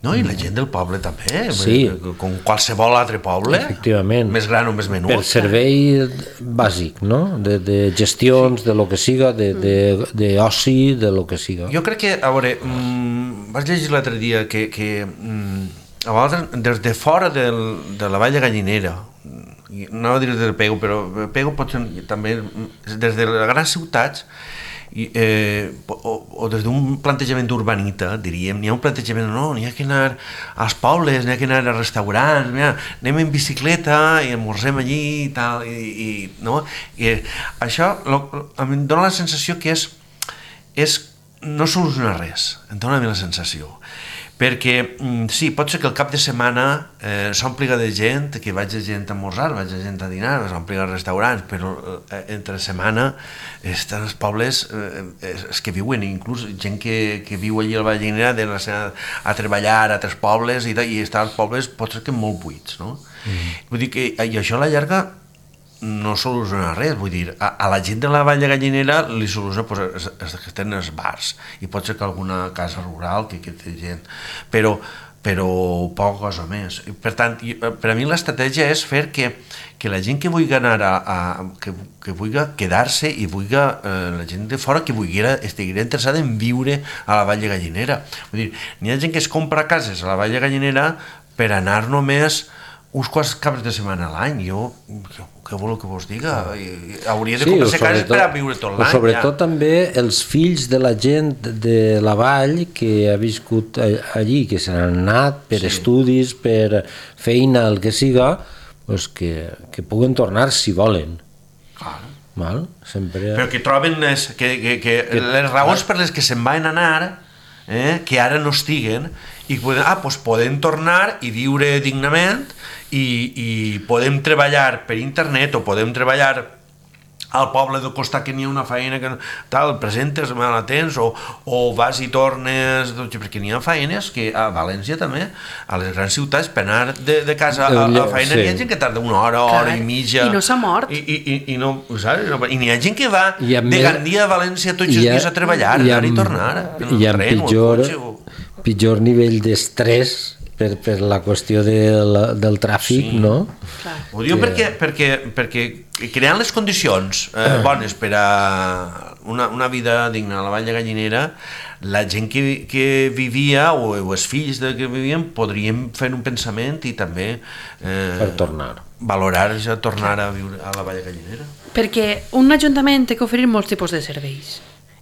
No, i la gent del poble també, sí. Com qualsevol altre poble, efectivament, més gran o més menut. Per servei bàsic, no? De, de gestions, sí. De lo que siga, de, de, de oci, de lo que siga. Jo crec que, a veure, mmm, vas llegir l'altre dia que... que mmm, a vegades, des de fora del, de la Vall de Gallinera, no a dir des del Pego, però Pego pot ser també des de les grans ciutats, i, eh, o, o des d'un plantejament urbanita, diríem, n'hi ha un plantejament, no, n'hi ha que anar als pobles, n'hi ha que anar a restaurants, mira, anem en bicicleta i esmorzem allí i tal, i, i, no? I això lo, a mi em dóna la sensació que és, és no soluciona res, em dóna a mi la sensació. Perquè, sí, pot ser que el cap de setmana eh, s'ompliga de gent, que vagi gent a esmorzar, vagi gent a dinar, s'ompliga als restaurants, però eh, entre setmana estan els pobles eh, els que viuen, inclús gent que, que viu allí al Vall de Gallinera d'anar a treballar a altres pobles i, i estar als pobles pot ser que molt buits, no? Mm. Vull dir que i això a la llarga no soluciona res, vull dir, a, a la gent de la Vall de Gallinera li soluciona pues, els, els que tenen els bars i pot ser que alguna casa rural que, que té gent, però, però poca cosa més. I, per tant, per a mi l'estratègia és fer que, que la gent que vulgui anar a, a que, que vulgui quedar-se i vulgui, eh, la gent de fora que vulgui estigui interessada en viure a la Vall de Gallinera. Vull dir, n'hi ha gent que es compra cases a la Vall de Gallinera per anar només uns quants caps de setmana a l'any. Jo, què voleu que vos diga? Hauria de sí, comprar-se cases per a viure tot l'any. Sobretot ja. També els fills de la gent de la vall que ha viscut allí, que s'han anat per sí. Estudis, per feina, el que siga, pues que, que puguen tornar si volen. Claro. Val? Sempre... Però que troben les, que, que, que, que les raons per les que se'n van anar, eh, que ara no estiguen, i poden, ah, pues podem tornar i viure dignament i, i podem treballar per internet o podem treballar al poble del costat que n'hi ha una feina que tal, presentes, me la tens o, o vas i tornes, perquè n'hi ha feines que a València també, a les grans ciutats, per anar de, de casa a la feina sí. N'hi ha gent que tarda una hora, hora i mitja i no s'ha mort i, i, i, i, no, saps? I n'hi ha gent que va de Gandia a València tots els dies a treballar, i anar i tornar i amb pitjor, pitjor nivell d'estrès per, per la qüestió del, del tràfic, sí. No? Clar. Ho diu que... perquè, perquè, perquè creant les condicions eh, bones per a una, una vida digna a la Vall de Gallinera, la gent que, que vivia o, o els fills de que vivien podrien fer un pensament i també eh, per tornar valorar ja tornar a viure a la Vall de Gallinera. Perquè un ajuntament té que oferir molts tipus de serveis.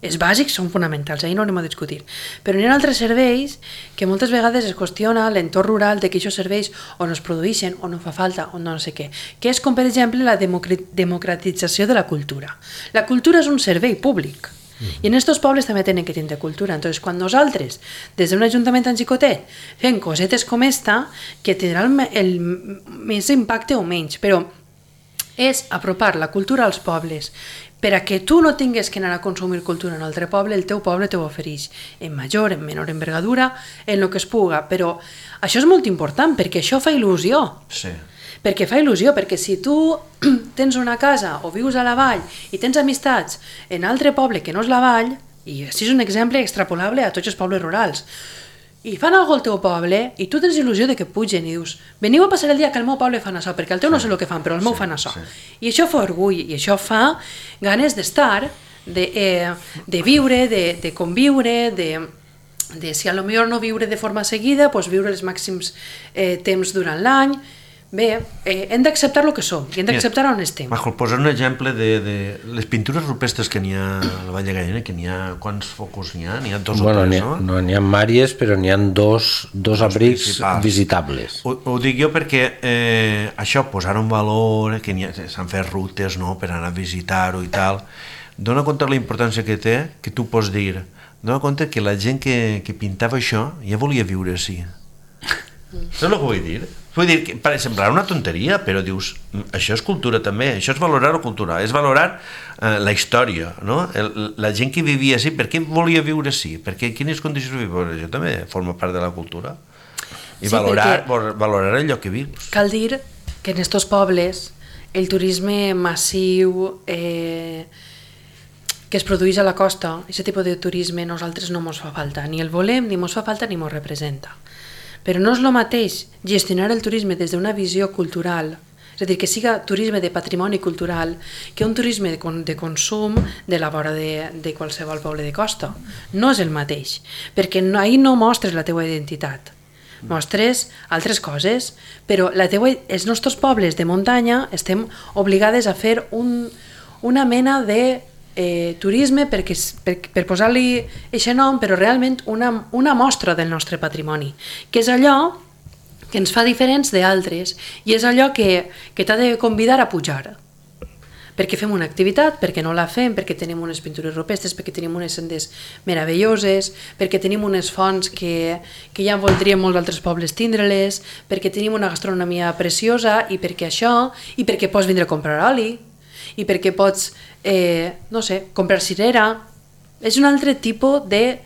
Els bàsics són fonamentals, ahir no anem a discutir, però hi ha altres serveis que moltes vegades es qüestiona l'entorn rural de que aquests serveis o no es produeixen o no fa falta o no sé què, que és com per exemple la democratització de la cultura. La cultura és un servei públic, I en aquests pobles també tenen que tindre cultura. Entonces, quan nosaltres, des d'un ajuntament tan xicotet, fem cosetes com esta, que tindrà el, el més impacte o menys, però és apropar la cultura als pobles, per a que tu no tingues que anar a consumir cultura en un altre poble, el teu poble te ho ofereix en major, en menor envergadura, en el que es puga, però això és molt important, perquè això fa il·lusió. Sí. Perquè fa il·lusió, perquè si tu tens una casa o vius a la vall i tens amistats en altre poble que no és la vall, i això és un exemple extrapolable a tots els pobles rurals, i fan alguna cosa al teu poble i tu tens il·lusió de que pugen i dius, veniu a passar el dia que al meu poble fan això, perquè al teu no sé el que fan, però al meu fan això. I això fa orgull, i això fa ganes d'estar, de, eh, de viure, de, de conviure, de, de si a lo millor no viure de forma seguida, doncs viure els màxims eh, temps durant l'any. Bé, eh, hem d'acceptar el que som i hem d'acceptar on estem. Majo, posar un exemple de, de les pintures rupestres que n'hi ha a la Vall de Gallina, que n'hi ha, quants focus n'hi ha? N'hi ha dos bueno, o tres, n'hi ha, no? No, n'hi ha màries, però n'hi ha dos, dos, dos abrics principals visitables. Ho, ho dic jo perquè eh, això, posar un valor, que s'han fet rutes, no?, per anar a visitar-ho i tal, dona compte de la importància que té, que tu pots dir, dona compte que la gent que, que pintava això ja volia viure així. Saps el que vull dir? Vull dir, que per semblar una tonteria, però dius, això és cultura també, això és valorar la cultura, és valorar eh, la història, no? El, la gent que vivia així, per què volia viure així? Per què, quines condicions vivia? Això també forma part de la cultura. I sí, valorar, valorar el lloc que vius. Cal dir que en estos pobles el turisme massiu eh, que es produeix a la costa, aquest tipus de turisme nosaltres no ens fa falta, ni el volem, ni ens fa falta, ni ens representa. Però no és el mateix gestionar el turisme des d'una visió cultural, és a dir, que siga turisme de patrimoni cultural, que un turisme de, con de consum de la vora de, de qualsevol poble de costa. No és el mateix, perquè no, ahir no mostres la teua identitat, mostres altres coses, però la teua, els nostres pobles de muntanya estem obligades a fer un, una mena de Eh, turisme perquè, per, per posar-li aquest nom, però realment una, una mostra del nostre patrimoni, que és allò que ens fa diferents d'altres i és allò que, que t'ha de convidar a pujar, perquè fem una activitat, perquè no la fem, perquè tenim unes pintures rupestres, perquè tenim unes sendes meravelloses, perquè tenim unes fonts que, que ja voldrien molts altres pobles tindre-les, perquè tenim una gastronomia preciosa i perquè això, i perquè pots vindre a comprar oli, i perquè pots, eh, no sé, comprar cirera. És un altre tipus de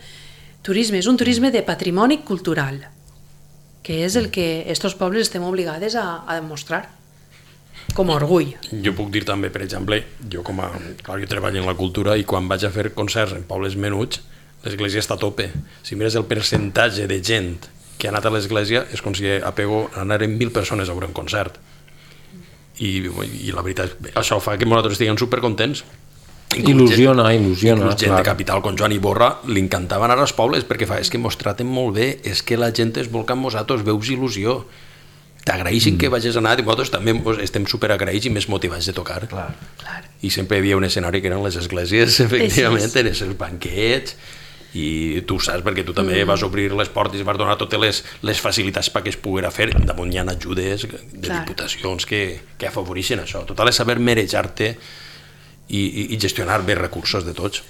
turisme, és un turisme de patrimoni cultural, que és el que estos pobles estem obligades a, a demostrar, com a orgull. Jo puc dir també, per exemple, jo com a... Clar, jo treballo en la cultura i quan vaig a fer concerts en pobles menuts, l'església està a tope. Si mires el percentatge de gent que ha anat a l'església, és com si a Pego anaren mil persones a veure un concert. I, i la veritat, això fa que nosaltres estiguem supercontents. Il·lusiona, il·lusiona. Inclús gent de capital com Joan Iborra li encantava anar als pobles perquè fa, és que mos traten molt bé, és que la gent es vol que amb nosaltres veus il·lusió. T'agraeixin mm. que vagis a anar i nosaltres també estem superagraïts i més motivats de tocar. Clar. Clar. I sempre hi havia un escenari que eren les esglésies, efectivament, sí, sí. En els banquets, i tu saps perquè tu també mm. vas obrir les portes i vas donar totes les, les facilitats perquè es poguera fer. Damunt hi ha ajudes de Clar. Diputacions que, que afavoreixen això. Total és saber marejar-te i, i, i gestionar bé recursos de tots.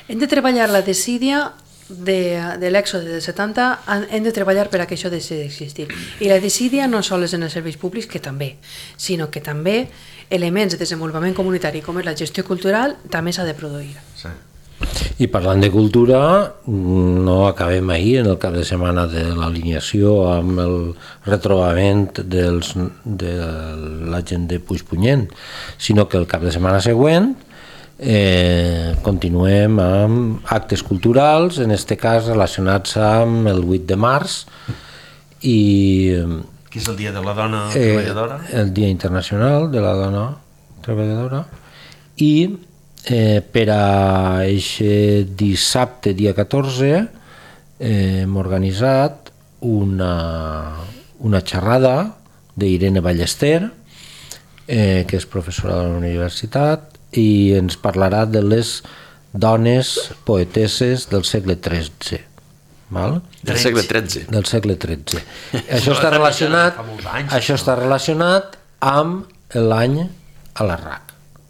Hem de treballar la desídia de, de l'èxode del setanta, hem de treballar per a que això deixi d'existir. I la desídia no sols en els serveis públics, que també, sinó que també elements de desenvolupament comunitari com és la gestió cultural també s'ha de produir. Sí. I parlant de cultura, no acabem ahir en el cap de setmana de l'alineació amb el retrobament dels, de la gent de Puigpunyent, sinó que el cap de setmana següent eh, continuem amb actes culturals, en aquest cas relacionats amb el vuit de març i... Que és el Dia de la Dona eh, Treballadora? El Dia Internacional de la Dona Treballadora i Eh, per a aquest dissabte, dia catorze, eh, hem organitzat una, una xerrada d'Irene Ballester, eh, que és professora de la universitat, i ens parlarà de les dones poetesses del segle tretze. Val? Del segle tretze. Del segle tretze. Això està relacionat, això està relacionat amb l'any a la R A C.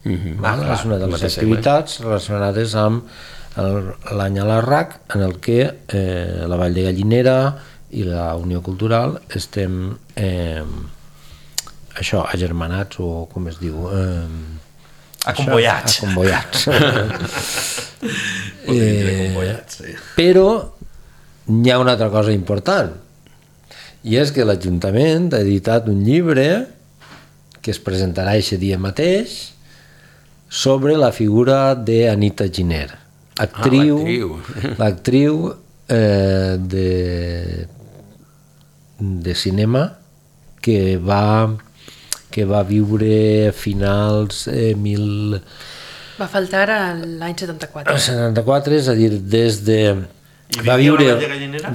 Mm-hmm. Val? És una de les activitats relacionades amb l'any a l'Arrac, en el que eh, la Vall de Gallinera i la Unió Cultural estem eh, això, agermanats, o com es diu... Eh, Acomboiats. Acomboiats. eh, acomboiats, sí. Però hi ha una altra cosa important, i és que l'Ajuntament ha editat un llibre que es presentarà aquest dia mateix sobre la figura d'Anita Giner, actriu, ah, l'actriu eh, de, de cinema que va, que va viure a finals eh, mil... Va faltar l'any setanta-quatre. setanta-quatre, és a dir, des de... Va viure,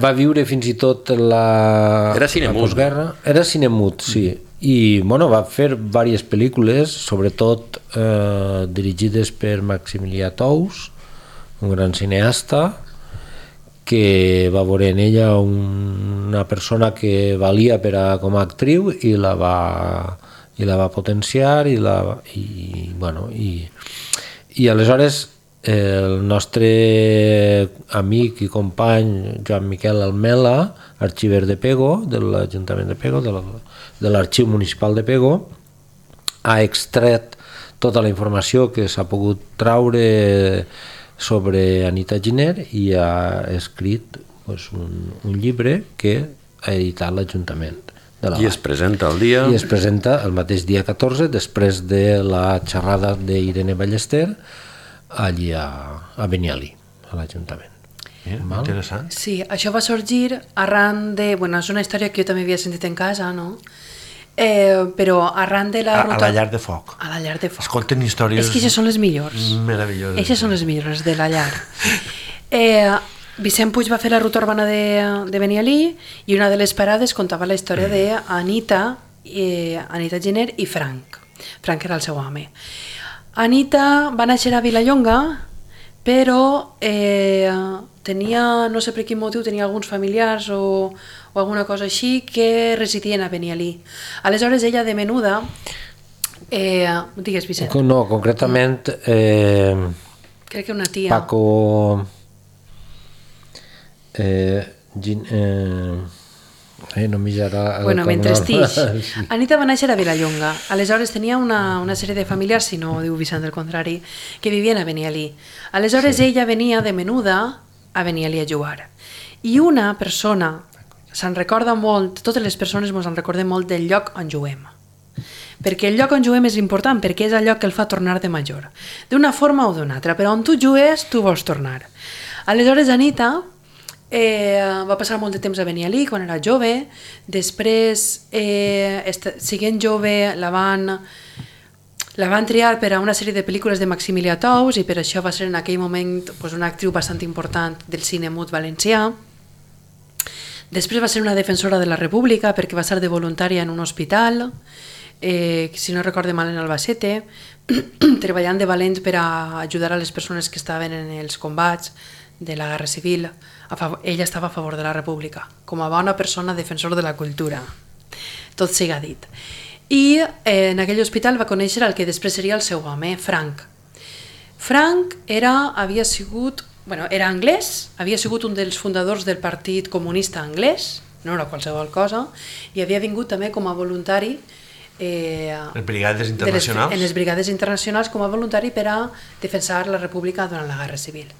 va viure fins i tot la, Era cinemut. la postguerra. Era cinemut, sí. I bueno, va fer diverses pel·lícules, sobretot eh, dirigides per Maximilià Tous, un gran cineasta, que va veure en ella un, una persona que valia per a, com a actriu, i la va, i la va potenciar, i, la, i, bueno, i, i aleshores el nostre amic i company Joan Miquel Almela, arxiver de Pego, de l'Ajuntament de Pego, de l'Arxiu Municipal de Pego, ha extret tota la informació que s'ha pogut traure sobre Anita Giner i ha escrit pues, un, un llibre que ha editat l'Ajuntament. I es presenta el dia... I es presenta el mateix dia catorze, després de la xerrada d'Irene Ballester, allí a, a Benialí, a l'Ajuntament. Eh, interessant. Sí, això va sorgir arran de... Bueno, és una història que jo també havia sentit en casa, no? Eh, però arran de la a, ruta... A la llar de foc. A la llar de foc. Es conten històries... És que aquestes són les millors. Meravelloses. Aquestes són les millors, de la llar. Eh, Vicent Puig va fer la ruta urbana de, de Benialí, i una de les parades contava la història d'Anita, eh, Anita Giner i Frank. Frank era el seu home. Anita va néixer a Vilallonga, però eh, tenia, no sé per quin motiu, tenia alguns familiars o, o alguna cosa així que residien a Benialí. Aleshores ella de menuda, eh, digues Vicent. No, concretament eh, crec que una tia. Paco eh, Gin, eh, Eh, no m'hi bueno, mentre estix. Anita va néixer a Vilallonga. Aleshores tenia una, una sèrie de familiars, si no diu Vicent del contrari, que vivien a Benialí. Aleshores sí. Ella venia de menuda a Benialí a jugar. I una persona, se'n recorda molt, totes les persones ens en recordem molt del lloc on juguem. Perquè el lloc on juguem és important, perquè és el lloc que el fa tornar de major. D'una forma o d'una altra, però on tu jugues, tu vols tornar. Aleshores Anita... Eh, va passar molt de temps a Benialí quan era jove, després eh, siguent jove la van, la van triar per a una sèrie de pel·lícules de Maximilià Tous, i per això va ser en aquell moment pues, una actriu bastant important del cine mut valencià. Després va ser una defensora de la República perquè va ser de voluntària en un hospital, eh, si no recorde mal en Albacete, treballant de valent per a ajudar a les persones que estaven en els combats de la Guerra Civil. A favor, ella estava a favor de la República, com a bona persona defensor de la cultura. Tot siga dit. I eh, en aquell hospital va conèixer el que després seria el seu home, Frank. Frank era, havia sigut, bueno, era anglès, havia sigut un dels fundadors del Partit Comunista Anglès, no era qualsevol cosa, i havia vingut també com a voluntari Eh, les brigades internacionals? Les, en les brigades internacionals com a voluntari per a defensar la República durant la Guerra Civil.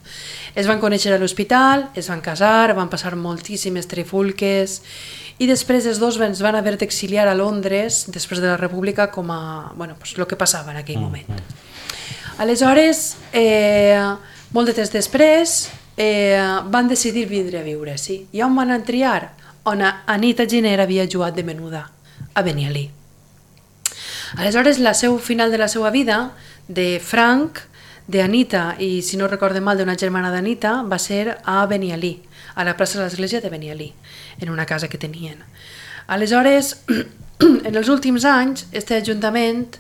Es van conèixer a l'hospital, es van casar, van passar moltíssimes trifulques i després els dos es van haver d'exiliar a Londres després de la República com a, bueno, pues, el que passava en aquell moment. Aleshores, eh, molt de temps després, eh, van decidir vindre a viure, sí. I on van triar? On Anita Giner havia jugat de menuda, a Benialí. Aleshores, la seu final de la seva vida, de Frank, d'Anita i, si no recorde mal, d'una germana d'Anita, va ser a Benialí, a la plaça de l'església de Benialí, en una casa que tenien. Aleshores, en els últims anys, este ajuntament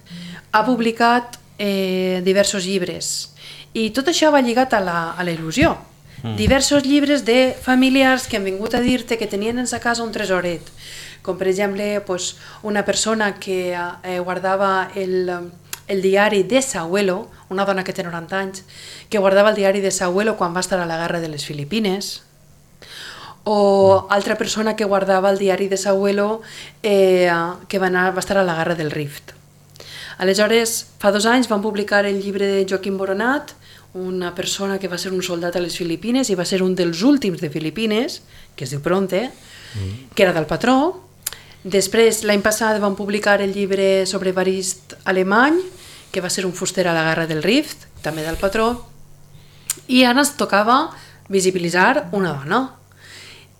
ha publicat eh, diversos llibres i tot això va lligat a la, a la il·lusió. Mm. Diversos llibres de familiars que han vingut a dir-te que tenien en sa casa un tresoret, com per exemple pues, una persona que eh, guardava el, el diari de Sahuelo, una dona que té noranta anys, que guardava el diari de sa abuelo quan va estar a la guerra de les Filipines, o altra persona que guardava el diari de sa abuelo eh, que va, anar, va estar a la guerra del Rift. Aleshores, fa dos anys van publicar el llibre de Joaquim Boronat, una persona que va ser un soldat a les Filipines i va ser un dels últims de Filipines, que es diu Pronte, mm. que era del patró. Després, l'any passat, van publicar el llibre sobre Evarist Alemany, que va ser un fuster a la guerra del Rift, també del patró, i ara ens tocava visibilitzar una dona.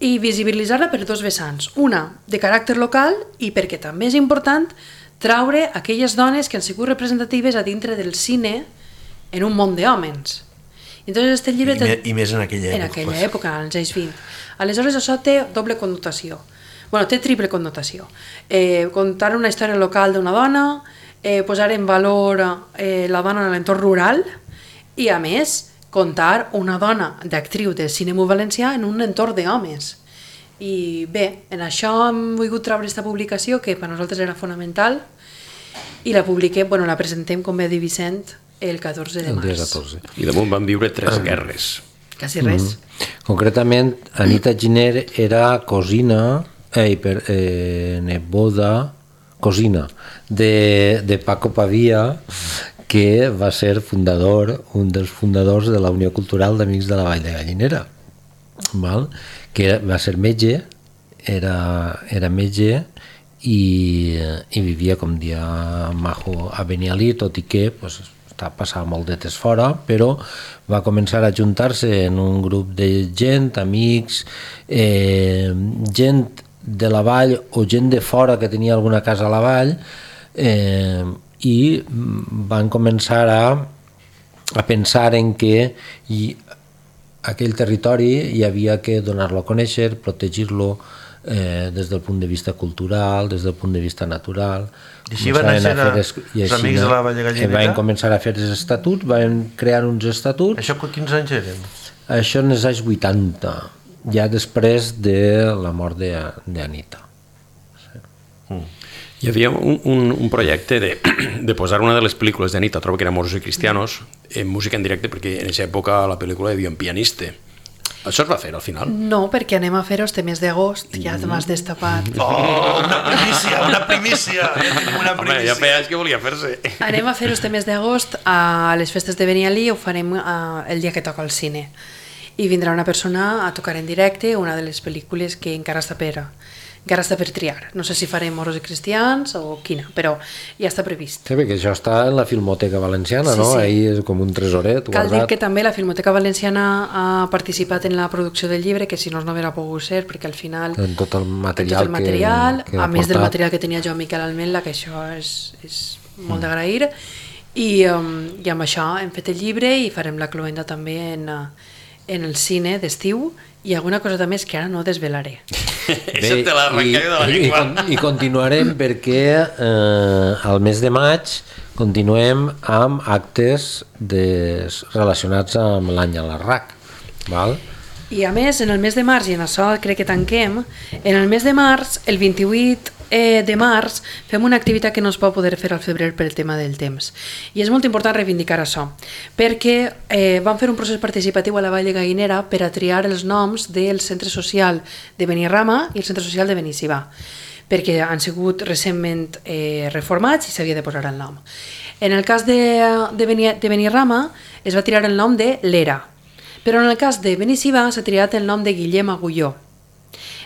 I visibilitzar-la per dos vessants. Una, de caràcter local, i perquè també és important traure aquelles dones que han sigut representatives a dintre del cine en un món d'hòmens. Entonces, este llibre... I, me, I més en aquella època. En aquella pues. època, als anys vint. Aleshores, això té doble connotació. Bueno, té triple connotació. Eh, contar una història local d'una dona, eh, posar en valor eh, la dona en l'entorn rural i, a més, contar una dona d'actriu de cinema valencià en un entorn d'homes. I bé, en això hem volgut treure aquesta publicació que per nosaltres era fonamental i la publiquem, bueno, la presentem, com va dir Vicent, el catorze de març. El dia catorze. I damunt van viure tres guerres. Quasi res. Mm-hmm. Concretament, Anita Giner era cosina, eh, per, eh, neboda, cosina de, de Paco Pavia, que va ser fundador, un dels fundadors de la Unió Cultural d'Amics de la Vall de Gallinera, val? Que va ser metge, era, era metge i, i vivia, com dia Majo, a Benialí, tot i que pues, passava molt de temps fora, però va començar a juntar-se en un grup de gent, amics, eh, gent de la vall o gent de fora que tenia alguna casa a la vall, eh, i van començar a, a pensar en que hi, aquell territori hi havia que donar-lo a conèixer, protegir-lo eh, des del punt de vista cultural, des del punt de vista natural. I així van néixer els Amics de la Vall de Gallinera? Van començar a fer els estatuts, van crear uns estatuts. Això quins anys eren? Això en els anys vuitanta, ja després de la mort d'Anita. Sí. Mm. Hi havia un, un, un projecte de, de posar una de les pel·lícules d'Anita, trobo que era Moros i Cristianos, en música en directe, perquè en aquesta època la pel·lícula hi havia un pianista. Això es va fer al final? No, perquè anem a fer els temes d'agost, ja te m'has destapat. Oh, una primícia, una primícia! Ja tenim una primícia. Home, ja feia anys que volia fer-se. Anem a fer els temes d'agost a les festes de Benialí, ho farem uh, el dia que toca el cine. I vindrà una persona a tocar en directe una de les pel·lícules que encara està per... encara està per triar. No sé si farem Moros i Cristians o quina, però ja està previst. Sí, perquè això està en la Filmoteca Valenciana, sí, no? Sí. Ahí és com un tresoret Cal guardat. dir que també la Filmoteca Valenciana ha participat en la producció del llibre, que si no, no hauria pogut ser, perquè al final... En tot el material, tot el material que, que a més portat. del material que tenia jo Miquel Almela, que això és, és molt mm. d'agrair, i, um, i amb això hem fet el llibre i farem la cloenda també en, en el cine d'estiu, i alguna cosa també és que ara no desvelaré. Això te l'ha arrencat de la llengua. I, i continuarem perquè eh, al mes de maig continuem amb actes de, relacionats amb l'any a l'Arrac. Val? I a més, en el mes de març, i en això crec que tanquem, en el mes de març, el vint-i-vuit eh, de març, fem una activitat que no es pot poder fer al febrer per el tema del temps. I és molt important reivindicar això, perquè eh, vam fer un procés participatiu a la Vall de Gallinera per a triar els noms del centre social de Benirrama i el centre social de Benissibà, perquè han sigut recentment eh, reformats i s'havia de posar el nom. En el cas de, de, Beni, de Benirrama es va triar el nom de l'Era, però en el cas de Benissibà s'ha triat el nom de Guillem Agulló,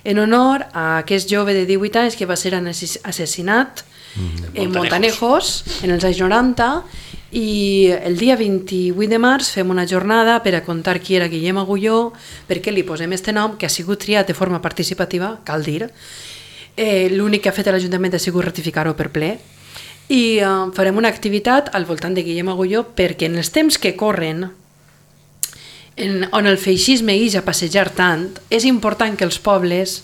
en honor a aquest jove de divuit anys que va ser assassinat mm. en Montanejos en els anys noranta, i el dia vint-i-vuit de març fem una jornada per a contar qui era Guillem Agulló, perquè li posem este nom que ha sigut triat de forma participativa, cal dir. Eh, l'únic que ha fet l'Ajuntament ha sigut ratificar-ho per ple, i eh, farem una activitat al voltant de Guillem Agulló perquè en els temps que corren, En, on el feixisme ix a passejar tant, és important que els pobles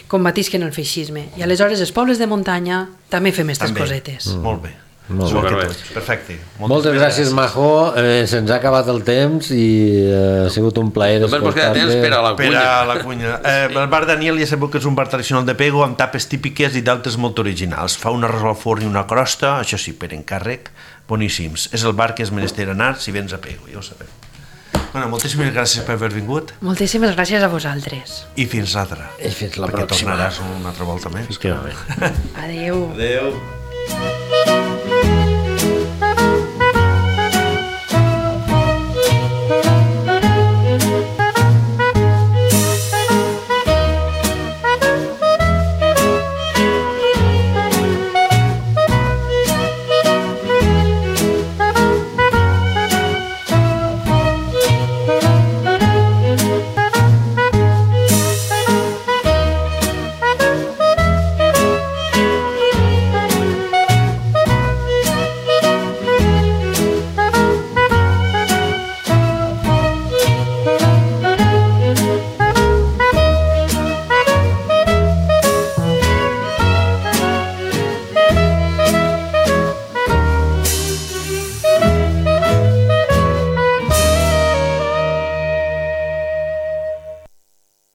combatisquen el feixisme. I aleshores els pobles de muntanya també fem aquestes també. cosetes. Mm. Molt bé. Molt Igual que bé. tots. Perfecte. Moltes gràcies, Majo. Eh, Se'ns ha acabat el temps i eh, ha sigut un plaer Només vos queda temps per a la Per cunya. a la cunya. Eh, el bar Daniel ja sabeu que és un bar tradicional de Pego amb tapes típiques i d'altres molt originals. Fa un arròs al forn i una crosta, això sí, per encàrrec, boníssims. És el bar que és menester anar si vens a Pego, ja ho sabeu. Bueno, moltíssimes gràcies per haver vingut Moltíssimes gràcies a vosaltres. i fins l'altra. I fins la Perquè pròxima. tornaràs una altra volta més. Efectivament. Adeu. Adéu.